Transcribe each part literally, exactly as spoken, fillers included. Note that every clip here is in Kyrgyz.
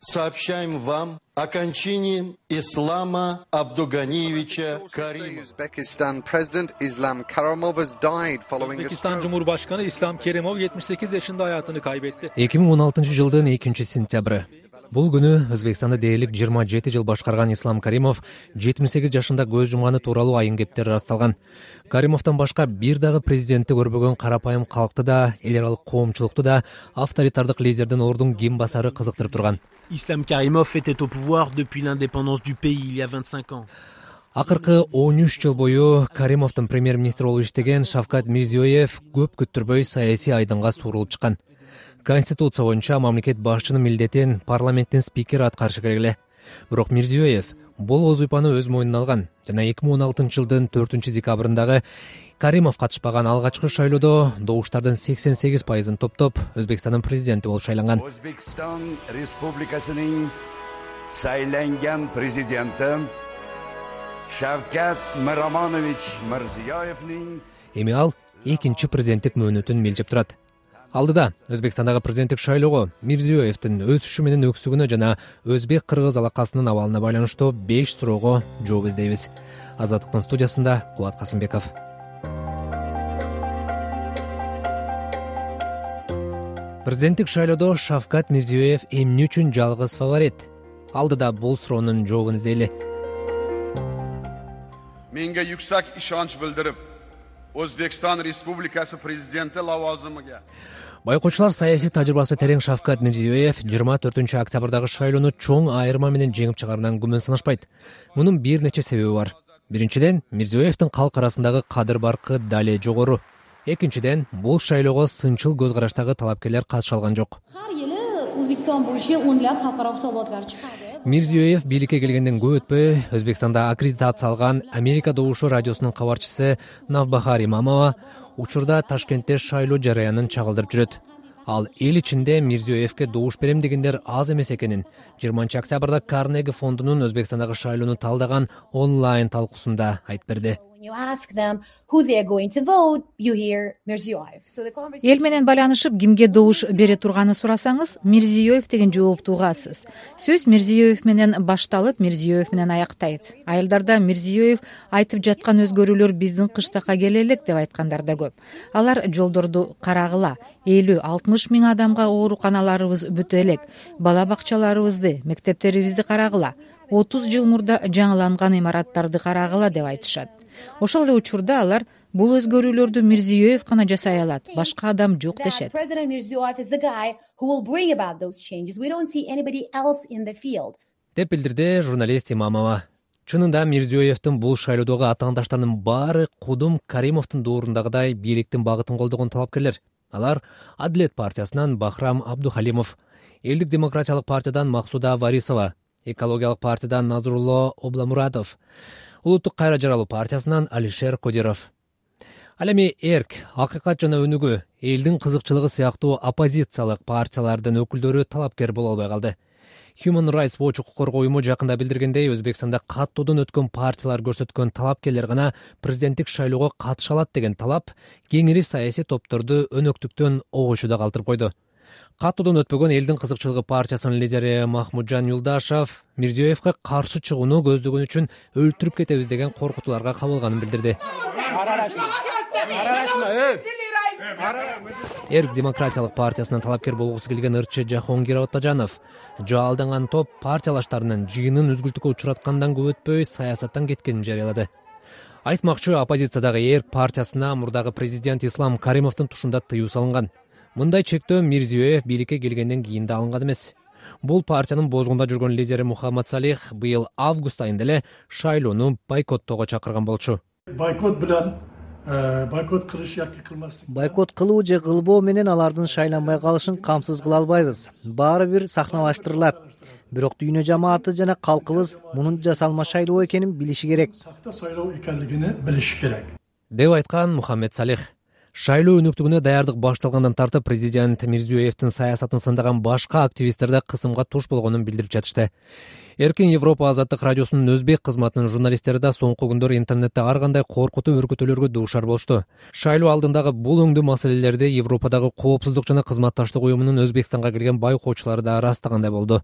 сообщаем вам о кончине Ислама Абдуганиевича Каримова. Uzbekistan President Islam Karimov has died following a Özbekistan Cumhurbaşkanı İslam Kerimov yetmiş sekiz yaşında hayatını kaybetti. эки миң он алтынчы жылдын экинчи сентябры. Бул күнү Өзбекстанды дээрлик жыйырма жети жыл башкарган Ислам Каримов жетимиш сегиз жашында көз жумганы тууралуу айын кептери ырасталган. Каримовдон башка бир дагы президентти көрбөгөн карапайым калкты да, эл аралык коомчулукту да авторитардык лидердин ордун ким басары кызыктырып турган. Islam Karimov était au pouvoir depuis l'indépendance du pays il y a vingt-cinq ans. Акыркы он үч жыл бою Каримовдун премьер-министр болуп иштеген Шавкат Мирзиёев көп күттүрбөй саясий айдынга суурулуп чыккан. Конституция боюнча мамлекет башчынын милдетин парламенттин спикери аткарышы керек эле. Бирок Мирзиёев бул вазыйпаны өз мойнуна алган жана эки миң он алтынчы жылдын төртүнчү декабрындагы Каримов катышпаган алгачкы шайлоодо добуштардын сексен сегиз пайызын топтоп Өзбекстандын президенти болуп шайланган. Өзбекстан Республикасынын сайланган президенти Шавкат Миромонович Мирзиёевдин эми ал экинчи президенттик мөөнөтүн милжеп турат. Алдыда Өзбекстандагы президенттик шайлоого Мирзиёевдин өсүшү менен өксүгүнө жана өзбек-кыргыз алакасынын абалына байланыштуу беш суроого жооп издейбиз. Азаттыктын студиясында Кубат Касымбеков. Президенттик шайлоодо Шавкат Мирзиёев эмне үчүн жалгыз фаворит? Алдыда бул суроонун жообун издейли. Menga yuksak ishonch bildirib, O'zbekiston Respublikasi prezidenti lavozimiga Байкоочулар саясий тажрыйбасы терең Шавкат Мирзиёев жыйырма төртүнчү октябрдагы шайлоону чоң айырма менен жеңип чыгарынан күмөн санашпайт. Мунун бир нече себеби бар. Биринчиден, Мирзиёевдин калк арасындагы кадыр баркы дале жогору. Экинчиден, бул шайлоого сынчыл көз караштагы талапкерлер катыша алган жок. Har yili O'zbekiston bo'yicha o'nlab xalqaro hisobotlar chiqadi. Мирзиёев бийликке келгенден көп өтпөй Өзбекстанда аккредитация алган Америка добушу радиосунун кабарчысы Навбахар Имамова учурда Ташкентте шайлоо жараянын чагылдырып жүрөт. Ал эл ичинде Мирзиёевке добуш берем дегендер аз эмес экенин жыйырманчы октябрда Карнеги фондунун Өзбекстандагы шайлоону талдаган онлайн талкуусунда айтып берди. Эл менен байланышып кимге добуш бере турганын сурасаңыз, Мирзиёев деген жоопту угасыз. Сөз Мирзиёев менен башталып, Мирзиёев менен аяктайт. Айылдарда Мирзиёев айтып жаткан өзгөрүүлөр биздин кыштакка келе элек деп айткандар да көп. Алар жолдорду карагыла, элүү алтымыш миң адамга ооруканаларыбыз бүтө элек, бала бакчаларыбызды, мектептерибизди карагыла, отуз жыл мурда жаңыланган имараттарды карагыла деп айтышат. Ошол эле учурда алар бул өзгөрүүлөрдү Мирзиёев гана жасай алат, башка адам жок дешет. Деп билдирди журналист Имамова. Чынында Мирзиёевдин бул шайлоодогу атаандаштарынын баары Кудум Каримовдун доорундагыдай бийликтин багытын колдогон талапкерлер. Алар Адилет партиясынан Бахрам Абдухалимов, Элдик демократиялык партиядан Максуда Варисова, Экологиялык партиядан Назрулло Обламуратов, Улуттук кайра жаралуу партиясынан Алишер Кодиров. Ал эми Эрк, Акыйкат жана Өнүгүү, элдин кызыкчылыгы сыяктуу оппозициялык партиялардын өкүлдөрү талапкер боло албай калды. Human Rights Watch укук коргоо уюму жакында билдиргендей, Өзбекстанда каттоодон өткөн партиялар көрсөткөн талапкерлер гана президенттик шайлоого катыша алат деген талап кеңири саясий топторду өнөктүктөн огуйшуда калтырып койду. Каттоодон өтпөгөн элдин кызыкчылыгы партиясынын лидери Махмуджан Юлдашев Мирзиёевге каршы чыгууну көздөгөн үчүн өлтүрүп кетебиз деген коркутууларга кабылганын билдирди. Эрк демократиялык партиясынан талапкер болгусу келген ырчы Жахонгир Отажанов жаалданган топ партиялаштарынын жыйынын үзгүлтүккө учураткандан көп өтпөй саясаттан кеткенин жарыялады. Айтмакчы, оппозициядагы Эрк партиясына мурдагы президент Ислам Каримовдун тушунда тыюу салынган. Мындай чектөө Мирзиёев бийликке келгенден кийин да алынган эмес. Бул партиянын бозгунда жүргөн лидери Мухаммад Салих быйыл август айында эле шайлоону бойкоттоого чакырган болчу. Бойкот менен бойкот кылыш яки кылмаслык. Бойкот кылуу же кылбоо менен алардын шайланбай калышын камсыз кыла албайбыз. Баары бир сахналаштырылат. Бирок дүйнө жамааты жана калкыбыз мунун жасалма шайлоо экенин билиши керек. Сакта шайлоо экенлигин билиши керек. Деп айткан Мухаммед Салих. Шайлоо өнөктүгүнө даярдык башталгандан тартып президент Мирзиёевдин саясатын сындаган башка активисттер да кысымга туш болгонун билдирип жатышты. Эркин Европа азаттык радиосунун өзбек кызматынын журналисттери да соңку күндөр интернетте ар кандай коркутуу өркөтүүлөргө дуушар болушту. Шайлоо алдындагы бул өңдүү маселелерди Европадагы коопсуздук жана кызматташтык уюмунун Өзбекстанга келген байкоочулары да ырастагандай болду.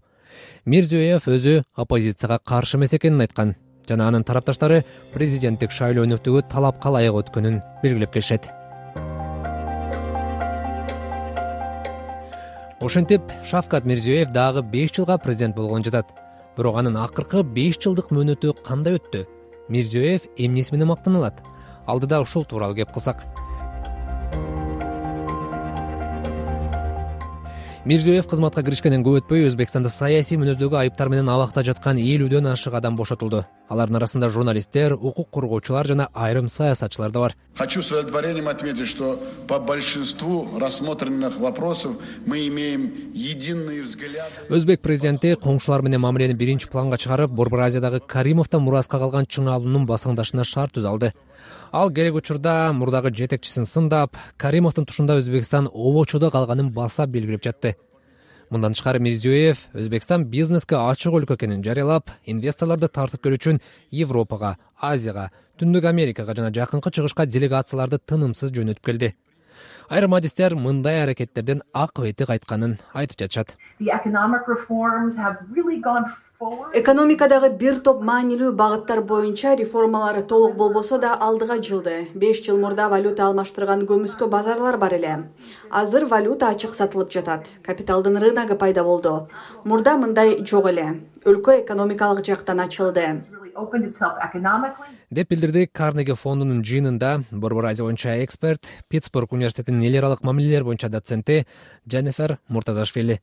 Мирзиёев өзү оппозицияга каршы эмес экенин айткан жана анын тарапташтары президенттик шайлоонуктугу талапка ылайык өткөнүн белгилеп келишет. Ошентип, Шавкат Мирзиёев дагы беш жылга президент болгон жатат. Бирок анын акыркы беш жылдык мөөнөтү кандай өттү? Мирзиёев эмнеси менен мактаналат? Алдыда ушул тууралуу кеп кылсак. Мирзиёев кызматка киришкенден көп өтпөй Өзбекстанда саясий мүнөздөгү айыптар менен абакта жаткан элүүдөн ашык адам бошотулду. Алардын арасында журналисттер, укук коргоочулар жана айрым саясатчылар да бар. Хочу с удовлетворением отметить, что по большинству рассмотренных вопросов мы имеем единые взгляды. Өзбек президенти коңшулар менен мамилени биринчи планга чыгарып, Борбор Азиядагы Каримовдон мураска калган чыңалуунун басаңдашына шарт түзө алды. Ал керек учурда мурдагы жетекчисин сындап, Каримовдун тушунда Өзбекстан обочодо калганын баса белгилеп жатты. Мындан тышкары Мирзиёев Өзбекстан бизнеске ачык өлкө экенин жарыялап, инвесторлорду тартып келүү үчүн Европага, Азияга, Түндүк Америкага жана Жакынкы Чыгышка делегацияларды тынымсыз жөнөтүп келди. Айрым адистер мындай аракеттерден акыбети кайтканын айтып жатышат. Экономикадагы бир топ маанилүү багыттар боюнча реформалар толук болбосо да алдыга жылды. беш жыл мурда валюта алмаштырган көмүскө базарлар бар эле. Азыр валюта ачык сатылып жатат. Капиталдын рыногу пайда болду. Мурда мындай жок эле. Өлкө экономикалык жактан ачылды. Деп билдирди Карнеги фондунун жыйынында Борбор Азия боюнча эксперт, Питтсбург университетинин эл аралык мамилелер боюнча доценти Дженнифер Муртазашвили.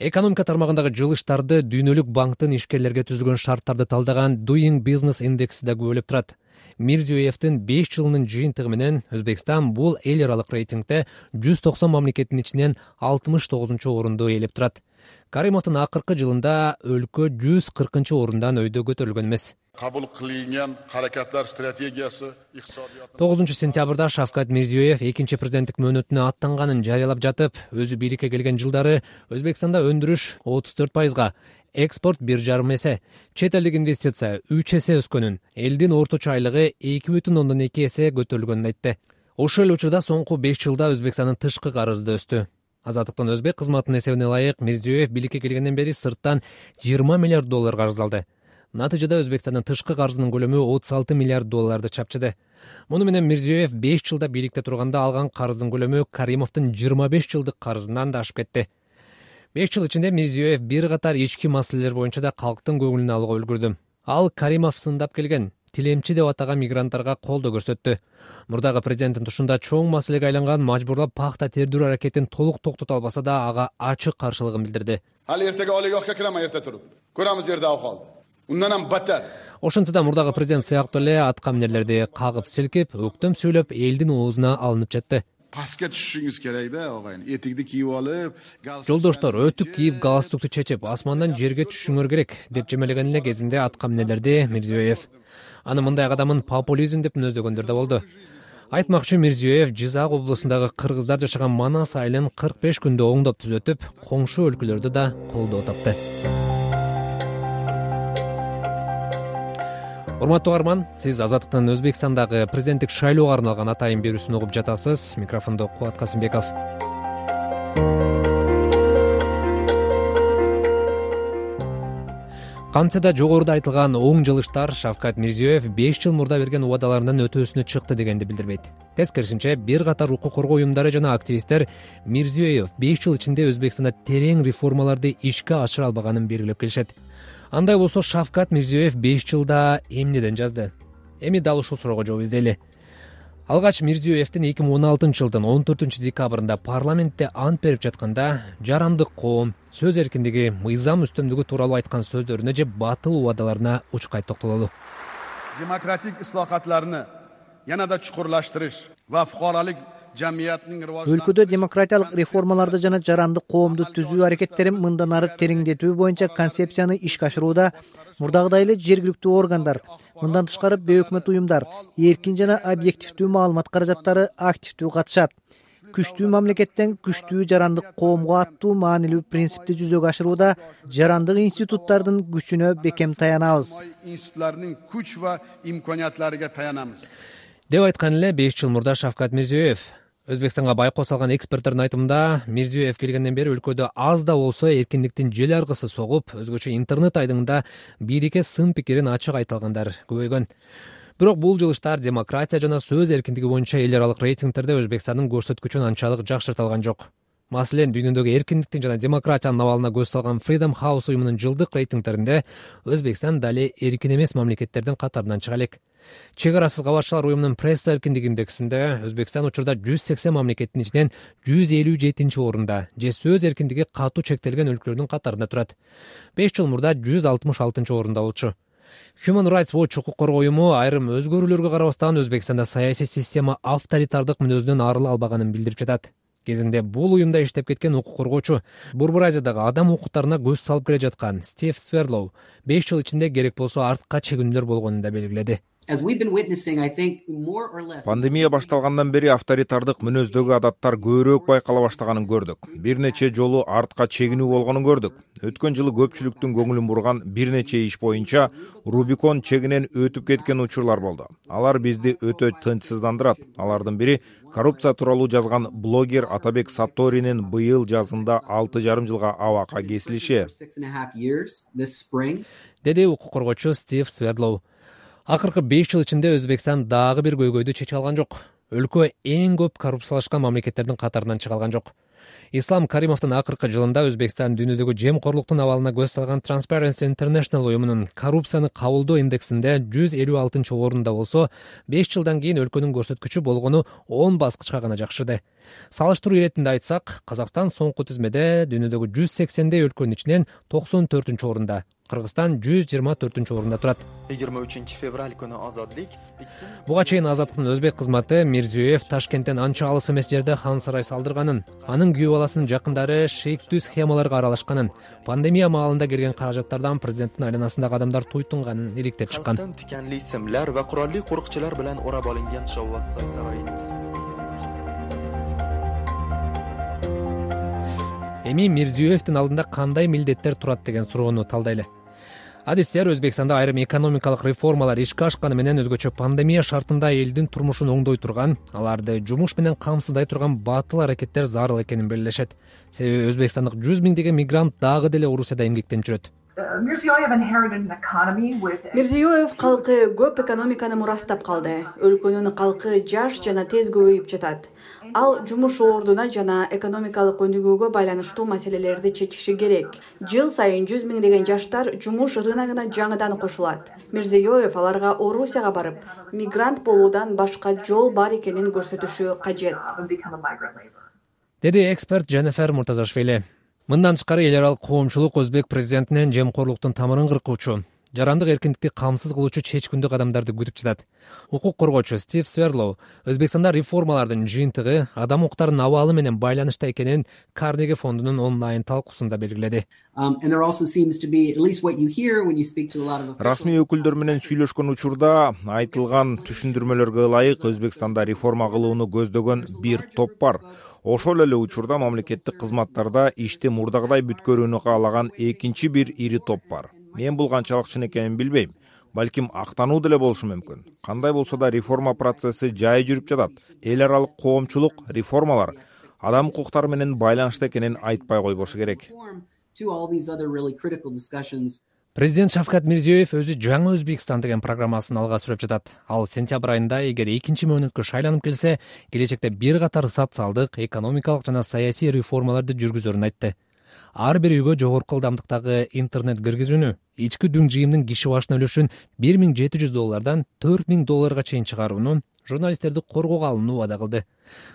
Экономика тармагындагы жылыштарды Дүйнөлүк банктын ишкерлерге түзүлгөн шарттарды талдаган Doing Business индекси да күбөлөп турат. Мирзиёевдин беш жылынын жыйынтыгы менен Өзбекстан бул эл аралык рейтингде жүз токсон мамлекеттин ичинен алтымыш тогузунчу орунду ээлеп турат. Каримовдун акыркы жылында өлкө жүз кыркынчы орундан өйдө көтөрүлгөн эмес. Кабыл кылынган аракеттер стратегиясы тогузунчу сентябрда Шавкат Мирзиёев экинчи президенттик мөөнөтүнө аттанганын жарыялап жатып, өзү бийликке келген жылдары Өзбекстанда өндүрүш отуз төрт пайызга, экспорт бир жарым эсе, чет элдик инвестиция үч эсе өскөнүн, элдин орточо айлыгы эки бүтүн ондон эки эсе көтөрүлгөнүн айтты. Ошол эле учурда соңку беш жылда Өзбекстандын тышкы карызы да өстү. Азаттыктын Өзбек кызматынын эсебине ылайык Мирзиёев бийликке келгенден бери сырттан жыйырма миллиард доллар карыз алды. Натыйжада Өзбекстандын тышкы карызынын көлөмү отуз алты миллиард долларды чапчыды. Муну менен Мирзиёев беш жылда бийликте турганда алган карыздын көлөмү Каримовдун жыйырма беш жылдык карызынан да ашып кетти. беш жыл ичинде Мирзиёев бир катар ички маселелер боюнча да калктын көңүлүн алууга үлгүрдү. Ал Каримов сындап келген тилемчи деп атаган мигранттарга колдоо көрсөттү. Мурдагы президенттин тушунда чоң маселеге айланган мажбурлап пахта тердирүү аракетин толук токтото албаса да ага ачык каршылыгын билдирди. Ал эртеге олигохка кирам эрте туруп. Көрөмүз жерде акалды. Ундан ham батар. Ошентсе мурдагы президент сыяктуу эле аткаминерлерди кагып силкип, өктөм сүйлөп, элдин оозуна алынып жатты. Паска түшүшүңүз керек да, огайын. Этикти кийип алып, жолдоштор өтүк кийип, галстукту чечип, асмандан жерге түшүшүңөр керек деп жемелеген эле кезинде аткаминерлерди Мирзиёев. Аны мындай кадамын популизм деп мүнөздөгөндөр да болду. Айтмакчы, Мирзиёев Жизак облусундагы кыргыздар жашаган Манас айылын кырк беш күндө оңдоп түзөтүп, коңшу өлкөлөрдү да колдоо тапты. Урматтуу угарман, сиз Азаттыктын Өзбекстандагы президенттик шайлоого арналган атайын берүүсүн угуп жатасыз. Микрофондо Кубат Касымбеков. Кантсе да жогоруда айтылган оң жылыштар Шавкат Мирзиёев беш жыл мурда берген убадаларынан өтөөсүнө чыкты дегенди билдирбейт. Тескерисинче, бир катар укук коргоо уюмдары жана активисттер Мирзиёев беш жыл ичинде Өзбекстанда терең реформаларды ишке ашыра албаганын белгилеп келишет. Андай болсо Шавкат Мирзиёев беш жылда эмнеден жазды? Эми дал ушул суроого жооп издейли. Алгач Мирзиёевдин эки миң он алтынчы жылдын он төртүнчү декабрында парламентте ант берип жатканда жарандык коом, сөз эркиндиги, мыйзам үстөмдүгү тууралуу айткан сөздөрүнө же батыл убадаларына учкай токтололу. Демократик ислохатларны yanada чукурлаштырыш ва фукаралык жамиятынын риважданышына өлкөдө демократиялык реформаларды жана жарандык коомду түзүү аракеттерин мындан ары тереңдетүү боюнча концепцияны ишке ашырууда мурдагыдай эле жергиликтүү органдар, мындан тышкары бейөкмөт уюмдар, эркин жана объективдүү маалымат каражаттары активдүү катышат. Күчтүү мамлекеттен күчтүү жарандык коомго аттуу маанилүү принципти жүзөгө ашырууда жарандык институттардын күчүнө бекем таянабыз. Институттардын күч ва имканиятларына таянабыз. Деп айткан эле беш жыл мурда Шавкат Мирзиёев. Өзбекстанга байкоо салган эксперттердин айтымында, Мирзиёев келгенден бери өлкөдө аз да болсо эркиндиктин жел аргысы согуп, өзгөчө интернет айдыңында бийликке сын пикирин ачык айта алгандар көбөйгөн. Бирок бул жылыштар демократия жана сөз эркиндиги боюнча эл аралык рейтингтерде Өзбекстандын көрсөткүчүн анчалык жакшырта алган жок. Маселен, дүйнөдөгү эркиндиктин жана демократиянын абалына көз салган Freedom House уюмунун жылдык рейтингтеринде Өзбекстан дали эркин эмес мамлекеттердин катарынан чыга элек. Чек арасыз кабарчылар уюмунун пресса эркиндиги индексинде Өзбекстан учурда жүз сексен мамлекеттин ичинен жүз элүү жетинчи орунда, же сөз эркиндиги катуу чектелген өлкөлөрдүн катарында турат. беш жыл мурда жүз алтымыш алтынчы орунда болчу. Human Rights Watch укук коргоо уюму айрым өзгөрүүлөргө карабастан Өзбекстанда саясий система авторитардык мүнөзүнөн арыла албаганын билдирип жатат. Кезинде бул уюмда иштеп кеткен укук коргоочу, Борбор Азиядагы адам укуктарына көз салып келе жаткан Стив Сверлоу беш жыл ичинде керек болсо артка чегинүүлөр болгонун да белгиледи. Пандемия башталгандан бери авторитардык мүнөздөгү адаттар көбүрөөк байкала баштаганын көрдүк. Бир нече жолу артка чегинүү болгонун көрдүк. Өткөн жылы көпчүлүктүн көңүлүн бурган бир нече иш боюнча Рубикон чегинен өтүп кеткен учурлар болду. Алар бизди өтө тынчсыздандырат. Алардын бири коррупция тууралуу жазган блогер Атабек Сатторинин быйыл жазында алты жарым жылга абакка кесилиши, деди укук коргоочу Стив Сверлоу. Акыркы беш жыл ичинде Өзбекстан дагы бир көйгөйдү чече алган жок. Өлкө эң көп коррупциялашкан мамлекеттердин катарынан чыга алган жок. Ислам Каримовдун акыркы жылында Өзбекстан дүйнөдөгү жемкорлуктун абалына көз салган Transparency International уюмунун коррупцияны кабылдоо индексинде жүз элүү алтынчы орунда болсо, беш жылдан кийин өлкөнүн көрсөткүчү болгону он баскычка гана жакшырды. Салыштыруу иретинде айтсак, Казакстан соңку тизмеде дүйнөдөгү жүз сексендей өлкөнүн ичинен токсон төртүнчү орунда, Кыргызстан жүз жыйырма төртүнчү орунда турат. yigirma uchinchi fevral kuni ozodlik. Буга чейин Азаттыктын өзбек кызматы Мирзиёев Ташкенттен анча алыс эмес жерде хан сарай салдырганын, анын күйөө баласынын жакындары шейктүү схемаларга аралашканын, пандемия маалында келген каражаттардан президенттин айланасындагы адамдар туйтунганын иликтеп чыккан. Tikanli simlar va qurolli qo'riqchilar bilan o'rab olingan Shovvozsoy saroyining Эми Мирзиёевдин алдында кандай милдеттер турат деген суроону талдайлы. Адистер Өзбекстанда айрым экономикалык реформалар ишке ашканы менен өзгөчө пандемия шартында элдин турмушун оңдой турган, аларды жумуш менен камсыздай турган батыл аракеттер зарыл экенин белгилешет. Себеби Өзбекстандык жүз миңдеген мигрант дагы деле Орусияда эмгектенип жүрөт. Мирзиёев калкы көп экономиканы мурастап калды. Өлкөнүн калкы жаш жана тез көбөйүп жатат. Ал жумуш ордуна жана экономикалык өнүгүүгө байланыштуу маселелерди чечиши керек. Жыл сайын жүз миңдеген жаштар жумуш рыногуна жаңыдан кошулат. Мирзиёев аларга Орусияга барып, мигрант болуудан башка жол бар экенин көрсөтүшү кажет, деди эксперт Дженнифер Муртазашвили. Мындан тышкары эл аралык коомчулук өзбек президентинен жемкорлуктун тамырын кыркуучу, жарандык эркиндикти камсыз кылуучу чечкиндүү кадамдарды күтүп жатат. Укук коргоочу Стив Сверлоу Өзбекстанда реформалардын жыйынтыгы адам укуктарынын абалы менен байланышта экенин Карнеги фондунун онлайн талкуусунда белгиледи. Расмий өкүлдөр менен сүйлөшкөн учурда айтылган түшүндүрмөлөргө ылайык Өзбекстанда реформа кылууну көздөгөн бир топ бар. Ошол эле учурда мамлекеттик кызматтарда ишти мурдагыдай бүткөрүүнү каалаган экинчи бир ири топ бар. Мен бул канчалык чын экенин билбейм. Балким актануу деле болушу мүмкүн. Кандай болсо да реформа процесси жай жүрүп жатат. Эл аралык коомчулук реформалар адам укуктары менен байланышта экенин айтпай койбошу керек. Президент Шавкат Мирзиёев өзү жаңы Өзбекстан деген программасын алга сүрөп жатат. Ал сентябрь айында эгер экинчи мөөнөткө шайланып келсе, келечекте бир катар социалдык, экономикалык жана саясий реформаларды жүргүзөрүн айтты. Ар бир үйгө жогорку ылдамдыктагы интернет киргизүүнү, ички дүң жыйымдын киши башына үлүшүн бир миң жети жүз доллардан төрт миң долларга чейин чыгарууну, журналисттерди коргоого алууну убада кылды.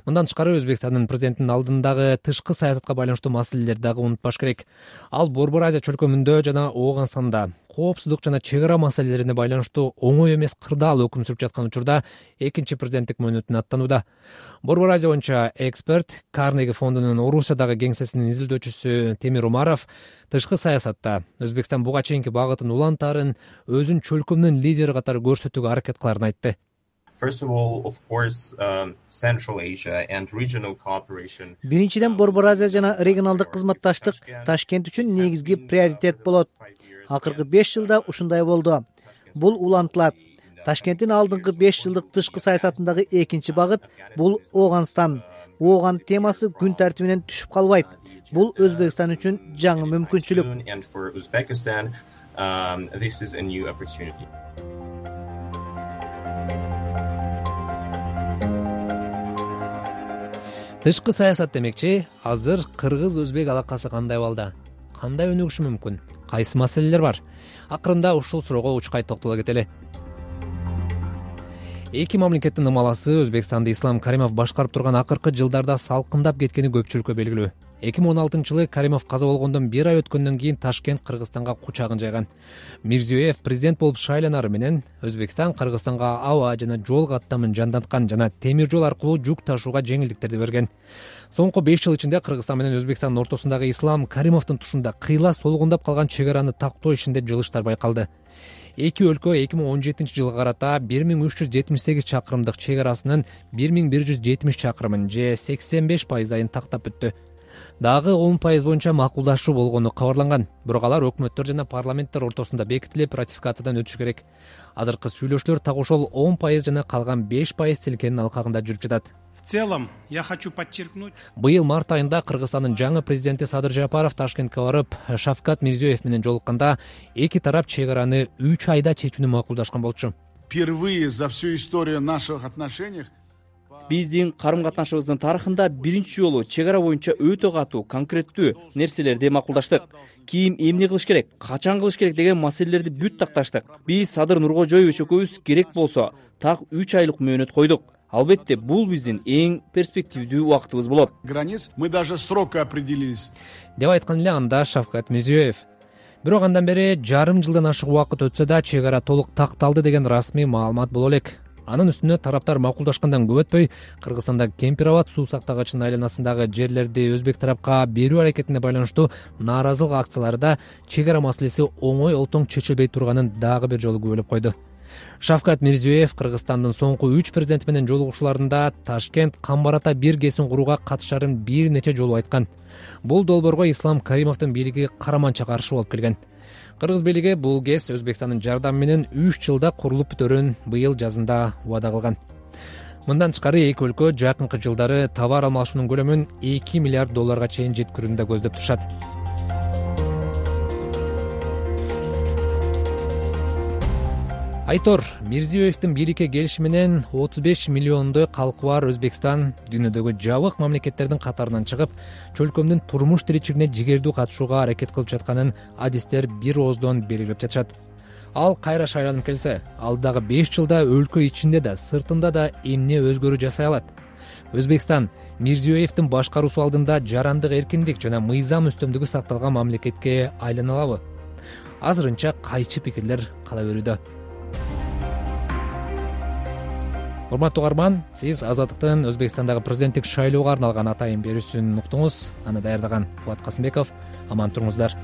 Мындан тышкары Өзбекстандын президентинин алдындагы тышкы саясатка байланыштуу маселелерди дагы унутпаш керек. Ал Борбор Азия чөлкөмүндө жана Ооганстанда коопсуздук жана чек ара маселелерине байланыштуу оңой эмес кырдаал өкүм сүрүп жаткан учурда экинчи президенттик мөөнөтүн аттанууда. Борбор Азия боюнча эксперт Карнеги фондунун Орусиядагы кеңсесинин изилдөөчүсү Темир Умаров тышкы саясатта Өзбекстан буга чейинки багытын улантаарын, өзүн чөлкөмдүн лидери катары көрсөтүүгө аракет кыларын айтты. Биринчиден Борбор Азия жана регионалдык кызматташтык Ташкент үчүн негизги приоритет болот. Акыркы беш жылда ушундай болду. Бул улантылат. Ташкенттин алдыңкы беш жылдык тышкы саясатындагы экинчи багыт бул Ооганстан. ооган темасы күн тартибинен түшүп калбайт. Бул Өзбекстан үчүн жаңы мүмкүнчүлүк. Тышкы саясат демекчи, азыр кыргыз-өзбек алакасы кандай балда? Кандай өнүгүшү мүмкүн? Кайсы маселелер бар? Акырында ушул суроого учкай токтоло кетели. Эки мамлекеттин ымаласы Өзбекстанды Ислам Каримов башкарып турган акыркы жылдарда салкындап кеткени көпчүлүккө белгилүү. эки миң он алтынчы жылы Каримов каза болгондон бир ай өткөндөн кийин Ташкент Кыргызстанга кучагын жайган. Мирзиёев президент болуп шайланары менен Өзбекстан Кыргызстанга аба жана жол каттамын жанданткан жана темир жол аркылуу жүк ташууга жеңилдиктерди берген. Соңку беш жыл ичинде Кыргызстан менен Өзбекстандын ортосундагы Ислам Каримовдун тушунда кыйла солгундап калган чек араны тактоо ишинде жылыштар байкалды. Эки өлкө эки миң он жетинчи жылга карата бир миң үч жүз жетимиш сегиз чакырымдык чек арасынын бир миң бир жүз жетимиш чакырымын же сексен беш пайыздайын тактап бүттү. Дагы он пайыз боюнча макулдашуу болгону кабарланган. Бирок алар өкмөттөр жана парламенттер ортосунда бекитилип, ратификациядан өтүшү керек. Азыркы сүйлөшүүлөр так ошол он пайыз жана калган беш пайыз тилкенин алкагында жүрүп жатат. В целом, я хочу подчеркнуть. Быйыл март айында Кыргызстандын жаңы президенти Садыр Жапаров Ташкентке барып, Шавкат Мирзиёев менен жолукканда эки тарап чек араны үч айда чечүүнү макулдашкан болчу. Впервые за всю историю наших отношений биздин карым-катнашыбыздын тарыхында биринчи жолу чек ара боюнча өтө катуу, конкреттүү нерселерди макулдаштык. Ким эмне кылыш керек, качан кылыш керек деген маселелерди бүт такташтык. Биз Садыр Нуркожоевич экөөбүз керек болсо так үч айлык мөөнөт койдук. Албетте, бул биздин эң перспективдүү убактыбыз болот. Границ мы даже срока определились. Деп айткан эле анда Шавкат Мирзиёев. Бирок андан бери жарым жылдан ашык убакыт өтсө да чек ара толук такталды деген расмий маалымат боло элек. Анын үстүнө тараптар макулдашкандан көп өтпөй Кыргызстандагы Кемпир-Абад суу сактагычынын айланасындагы жерлерди Өзбек тарапка берүү аракетине байланыштуу нааразылык акцияларда чек ара маселеси оңой олтоң чечилбей турганын дагы бир жолу күбөлөп койду. Шавкат Мирзиёев Кыргызстандын соңку үч президенти менен жолугушууларында Ташкент Камбарата бир ГЭСин курууга катышарын бир нече жолу айткан. Бул долбоорго Ислам Каримовдун бийлиги караманча каршы болуп келген. Кыргыз бийлиги бул ГЭС Өзбекстандын жардамы менен үч жылда курулуп бүтөрүн быйыл жазында убада кылган. Мындан тышкары эки өлкө жакынкы жылдары товар алмашуунун көлөмүн эки миллиард долларга чейин жеткирүүнү да көздөп турушат. Айтор, Мирзиёевдин бийликке келиши менен отуз беш миллиондой калкы бар Өзбекстан дүйнөдөгү жабык мамлекеттердин катарынан чыгып, чөлкөмдүн турмуш тиричилигине жигердүү катышууга аракет кылып жатканын адистер бир ооздон белгилеп жатышат. Ал кайра шайланып келсе, алдагы беш жылда өлкө ичинде да, сыртында да эмне өзгөрүү жасай алат? Өзбекстан Мирзиёевдин башкаруусу алдында жарандык эркиндик жана мыйзам үстөмдүгү сакталган мамлекетке айлана алабы? Азырынча кайчы пикирлер кала берүүдө. Урматтуу угарман, сиз Азаттыктын Өзбекстандагы президенттик шайлоого арналган атайын берүүсүн уктуңуз. Аны даярдаган Кубат Касымбеков. Аман туруңуздар.